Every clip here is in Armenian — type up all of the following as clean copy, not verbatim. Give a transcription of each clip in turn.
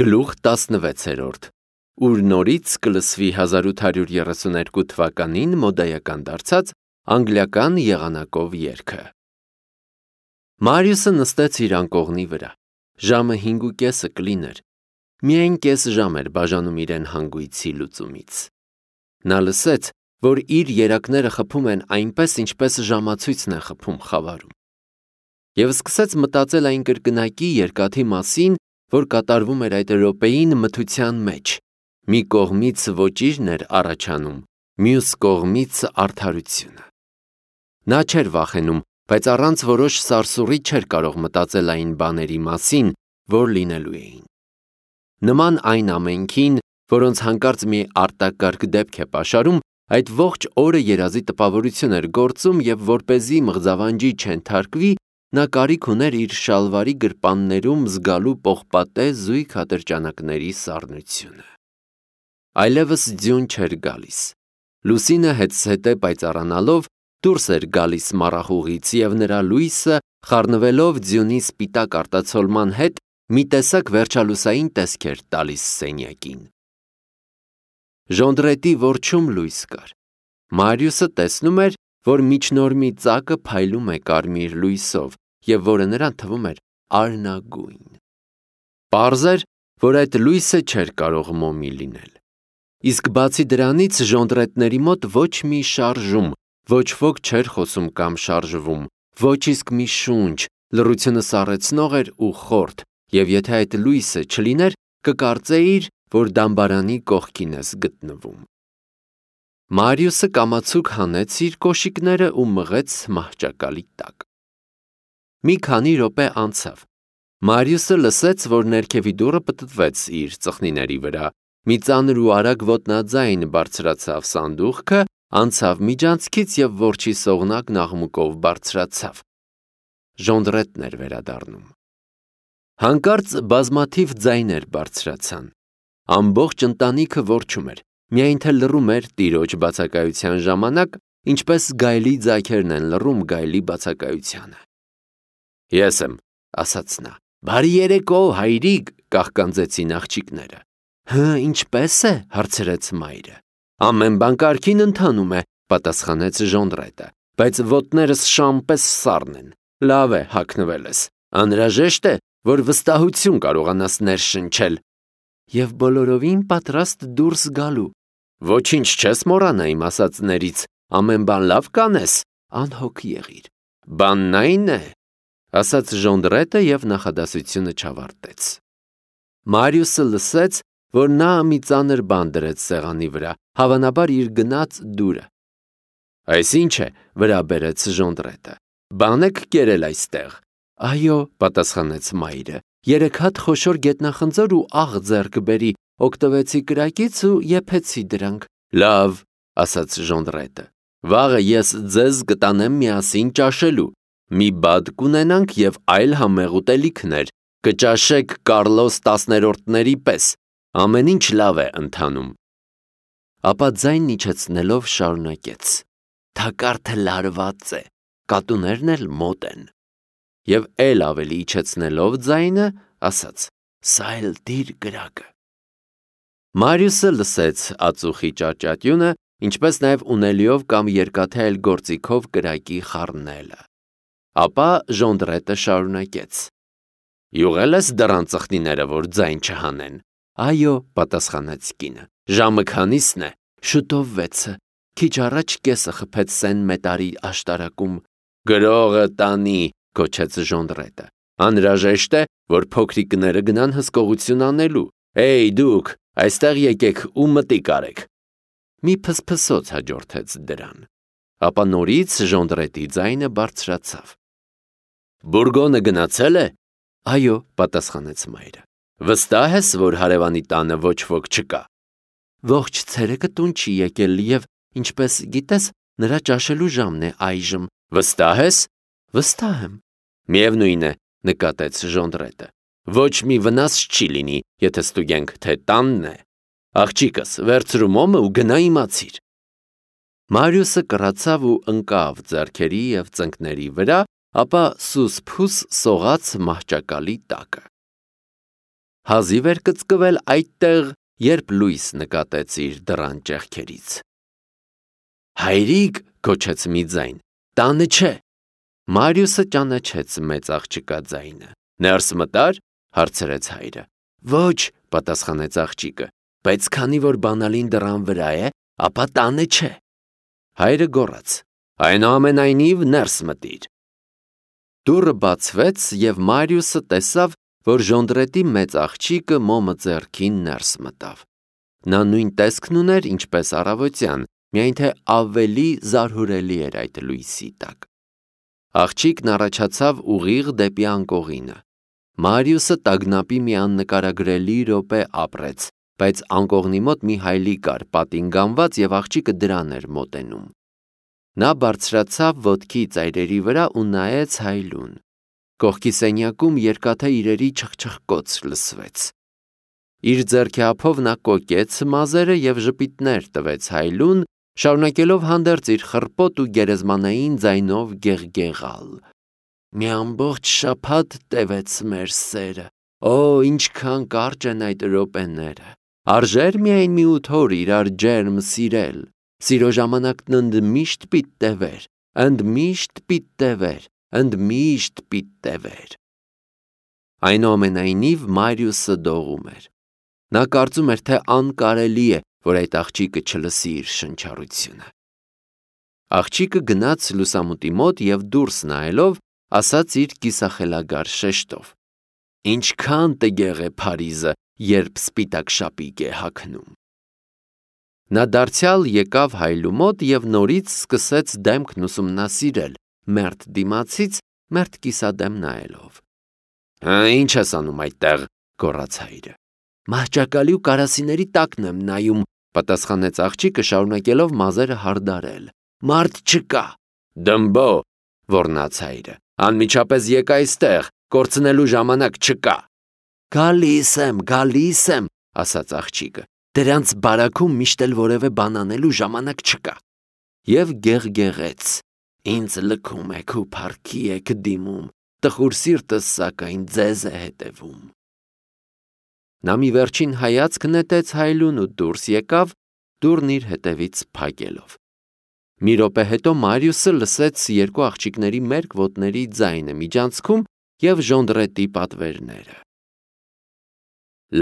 Գլուխ 16-րդ, ուր նորից կլսվի 1832 թվականին մոդայական դարձած անգլիական եղանակով երգը։ Մարիուսը նստեց իր անկողնի վրա, ժամը 5:30 կլիներ, միայն կես ժամ էր բաժանում իրեն հանգույցի լուծումից։ Նա լսեց, որ իր երակները խփում են այնպես, ինչպես ժամացույցն է խփում խավարում։ Եվ սկսեց մտածել այն կրկնակի երկաթի մասին, որ կատարվում էր այդ րոպեին մթության մեջ, մի կողմից ոճիրն էր առաջանում, մյուս կողմից արդարությունը։ Նա չէր վախենում, բայց առանց որոշ սարսուռի չէր կարող մտածել այն բաների մասին, որ լինելու էին։ Նման այն ամենքին, որոնց հանկարծ մի արտակարգ դեպք է պաշարում, այդ ողջ օրը երազի տպավորություն էր գործում և որպեսզի մղձավանջի չենթարկվի, նա կարիք ուներ իր շալվարի գրպաններում զգալու պողպատե զույգ ատրճանակների սառնությունը։ Այլևս ձյուն չէր գալիս։ Լուսինը հետզհետե պայծառանալով դուրս էր գալիս մառախուղից և նրա լույսը, խառնվելով ձյունի սպիտակ արտացոլման հետ, մի տեսակ վերջալուսային տեսք էր տալիս սենյակին։ Ժոնդրետի որջում լույս կար։ Մարիուսը տեսնում էր, որ միջնորմի ծակը փայլում է կարմիր լույսով և որը նրան թվում էր արնագույն։ Պարզ էր, որ այդ լույսը չէր կարող մոմի լինել։ Իսկ բացի դրանից ժոնդրետների մոտ ոչ մի շարժում, ոչ ոք չէր խոսում կամ շարժվում, ոչ իսկ մի շունչ, լռությունը սառեցնող էր ու խորթ, և եթե այդ լույսը չլիներ, կկարծեիր, որ դամբարանի կողքին ես գտնվում։ Մարիուսը կամացուկ հանեց իր կոշիկները ու մղեց մահճակալի տակ։ Մի քանի րոպե անցավ։ Մարիուսը լսեց, որ ներքևի դուռը պտտվեց իր ծխնիների վրա, մի ծանր ու արագ ոտնաձայն բարձրացավ սանդուղքը, անցավ միջանցքից և որջի սողնակն աղմուկով բարձրացավ։ Ժոնդրետն էր վերադառնում։ Հանկարծ բազմաթիվ ձայներ բարձրացան։ Ամբողջ ընտանիքը որջում էր, միայն թե լռում էր տիրոջ բացակայության ժամանակ, ինչպես գայլի ձագերն են լռում գայլի բացակայությանը։ Ես եմ, ասաց նա։ Բարի երեկո, հայրիկ, կաղկանձեցին աղջիկները։ Ինչպե՞ս է, հարցրեց մայրը։ Ամեն բան կարգին ընթանում է, պատասխանեց Ժոնդրետը, բայց ոտներս շան պես սառն են։ Լավ է, հագնվել ես։ Անհրաժեշտ է, որ վստահություն կարողանաս ներշնչել։ Եվ բոլորովին պատրաստ դուրս գալու։ Ոչինչ չես մոռանա իմ ասածներից, ամեն բան լավ կանես, անհոգ եղիր։ Բանն այն է, ասաց Ժոնդրետը և նախադասությունը չավարտեց։ Մարիուսը լսեց, որ նա մի ծանր բան դրեց սեղանի վրա, հավանաբար իր գնած դուրը։ Այս ինչ է, վրա բերեց Ժոնդրետը։ Բան եք կերել այստեղ։ Այո, պատասխանեց մայրը, 3 հատ խոշոր գետնախնձոր ու աղ ձեռք բերի, օգտվեցի կրակից ու եփեցի դրանք։ Լավ, ասաց Ժոնդրետը, վաղը ես ձեզ կտանեմ միասին ճաշելու։ Մի բադ կունենանք և այլ համեղ ուտելիքներ, կճաշեք Կարլոս 10-րդների պես, ամեն ինչ լավ է ընթանում։ Ապա ձայնն իջեցնելով շարունակեց. Թակարդը լարված է, կատուներն էլ մոտ են։ Եվ էլ ավելի իջեցնելով ձայնը, ասաց. Սա էլ դիր կրակը։ Մարիուսը լսեց ածուխի ճարճատյունը, ինչպես նաև ունելիով կամ երկաթե այլ գործիքով կրակի խառնելը։ Ապա Ժոնդրետը շարունակեց. Յուղել ես դռան ծխնիները, որ ձայն չհանեն։ Այո, պատասխանեց կինը։ Ժամը քանիսն է։ Շուտով 6-ը։ Քիչ առաջ կեսը խփեց Սեն Մետարի աշտարակում։ Գրողը տանի, գոչեց Ժոնդրետը։ Անհրաժեշտ է, որ փոքրիկները գնան հսկողություն անելու։ Էй դուք, այստեղ եկեք ու մտիկ արեք։ Մի փսփսոց հաջորդեց դրան։ Ապա նորից Ժոնդրետի ձայնը բարձրացավ։ Բուրգոնը գնացել է։ Այո, պատասխանեց մայրը։ Վստահ ես, որ հարևանի տանը ոչ ոք չկա։ Ողջ ցերեկը տուն չի եկել և, ինչպես գիտես, նրա ճաշելու ժամն է այժմ։ Վստահ ես։ Վստահ եմ։ Միևնույն է, նկատեց Ժոնդրետը։ Ոչ մի վնաս չի լինի, եթե ստուգենք, թե տանն է։ Աղջիկս, վերցրու մոմը ու գնա իմացիր։ Մարիուսը կռացավ ու ընկավ ձեռքերի և ծնկների վրա, ապա սուս-փուս սողաց մահճակալի տակը։ հազիվ էր կծկվել այդտեղ, երբ լույս նկատեց իր դռան ճեղքերից։ «Հայրիկ», գոչեց մի ձայն, «տանը չէ»։ Մարիուսը ճանաչեց մեծ աղջկա ձայնը։ «Ներս մտա՞ր», հարցրեց հայրը։ «Ոչ», պատասխանեց աղջիկը, «բայց քանի որ բանալին դռան վրա է, ապա տանը չէ»։ Հայրը գոռաց. «Այնուամենայնիվ ներս մտիր»։ Դուռը բացվեց, և Մարիուսը տեսավ, որ ժոնդրետի մեծ աղջիկը մոմը ձեռքին ներս մտավ։ Նա նույն տեսքն ուներ, ինչպես առավոտյան, միայն թե ավելի զարհուրելի էր այդ լույսի տակ։ Աղջիկն առաջացավ ուղիղ դեպի անկողինը։ Մարիուսը տագնապի մի աննկարագրելի րոպե ապրեց, բայց անկողնի մոտ մի հայելի կար, պատին գանված, և աղջիկը դրան էր մոտենում։ Նա բարձրացավ ոտքի ծայրերի վրա ու նայեց հայելուն։ Կողքի սենյակում երկաթե իրերի չխչխկոց լսվեց։ Իր ձեռքի ափով նա կոկեց մազերը և ժպիտներ տվեց հայելուն, շարունակելով հանդերձ իր խռպոտ ու գերեզմանային ձայնով գեղգեղալ. «Մի ամբողջ շաբաթ տևեց մեր սերը, օ, ինչքան կարճ են այդ րոպեները, արժե՞ր միայն մի 8 օր իրար ջերմ սիրել, սիրո ժամանակն ընդմիշտ պիտի տևեր, ընդմիշտ պիտի տևեր, ընդմիշտ պիտի տևեր»։ Այնուամենայնիվ Մարիուսը դողում էր։ Նա կարծում էր, թե անկարելի է, որ այդ աղջիկը չլսի իր շնչառությունը։ Աղջիկը գնաց լուսամուտի մոտ և դուրս նայելով, ասաց իր կիսախելագար շեշտով. «Ինչքան տգեղ է Փարիզը, երբ սպիտակ շապիկ է հագնում»։ Նա դարձյալ եկավ հայելու մոտ և նորից սկսեց դեմքն ուսումնասիրել, մերթ դիմացից, մերթ կիսադեմ նայելով։ «Ինչ ես անում այդտեղ», գոռաց հայրը։ «Մահճակալի ու կարասիների տակն եմ նայում», պատասխանեց աղջիկը, շարունակելով մազերը հարդարել։ «Մարդ չկա»։ «Դմբո», ոռնաց հայրը, «անմիջապես եկ այստեղ, կորցնելու ժամանակ չկա»։ Գալիս եմ, ասաց աղջիկը, «դրանց բարաքում միշտ էլ որևէ բան անելու ժամանակ չկա»։ Եվ գեղգեղեց. «Ինձ լքում եք ու փառքի եք դիմում, տխուր սիրտս սակայն ձեզ է հետևում»։ Նա մի վերջին հայացք նետեց հայելուն ու դուրս եկավ, դուռն իր հետևից փակելով։ Մի րոպե հետո Մարիուսը լսեց երկու աղջիկների մերկ ոտների ձայնը միջանցքում և ժոնդրետի պատվերները։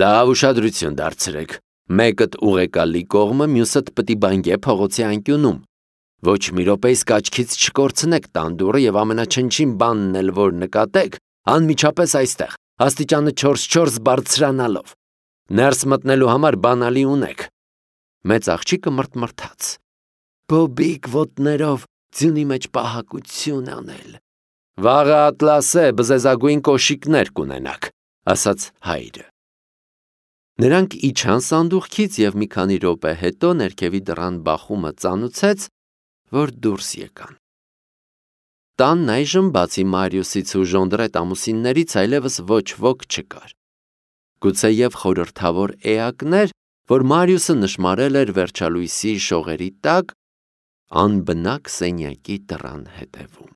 «Լավ ուշադրություն դարձրեք, մեկդ ուղեկալի կողմը, մյուսդ պտի բանկե փողոցի անկյունում։ Ոչ մի րոպե իսկ աչքից չկորցնեք տան դուռը և ամենաչնչին բանն էլ որ նկատեք, անմիջապես այստեղ, աստիճանը 4-4 բարձրանալով։ Ներս մտնելու համար բանալի ունեք»։ Մեծ աղջիկը մռթմռթաց. «Բոբիկ ոտներով ձյունի մեջ պահակություն անել»։ «Վաղը ատլասե բզեզագույն կոշիկներ կունենաք», ասաց հայրը։ Նրանք իջան սանդուղքից և մի քանի րոպե հետո ներքևի դռան բախումը ծանուցեց, որ դուրս եկան։ Տանն այժմ բացի Մարիուսից ու ժոնդրետ ամուսիններից այլևս ոչ ոք չկար։ Գուցեև խորհրդավոր էակներ, որ Մարիուսը նշմարել էր վերջալույսի շողերի տակ, անբնակ սենյակի դռան հետևում։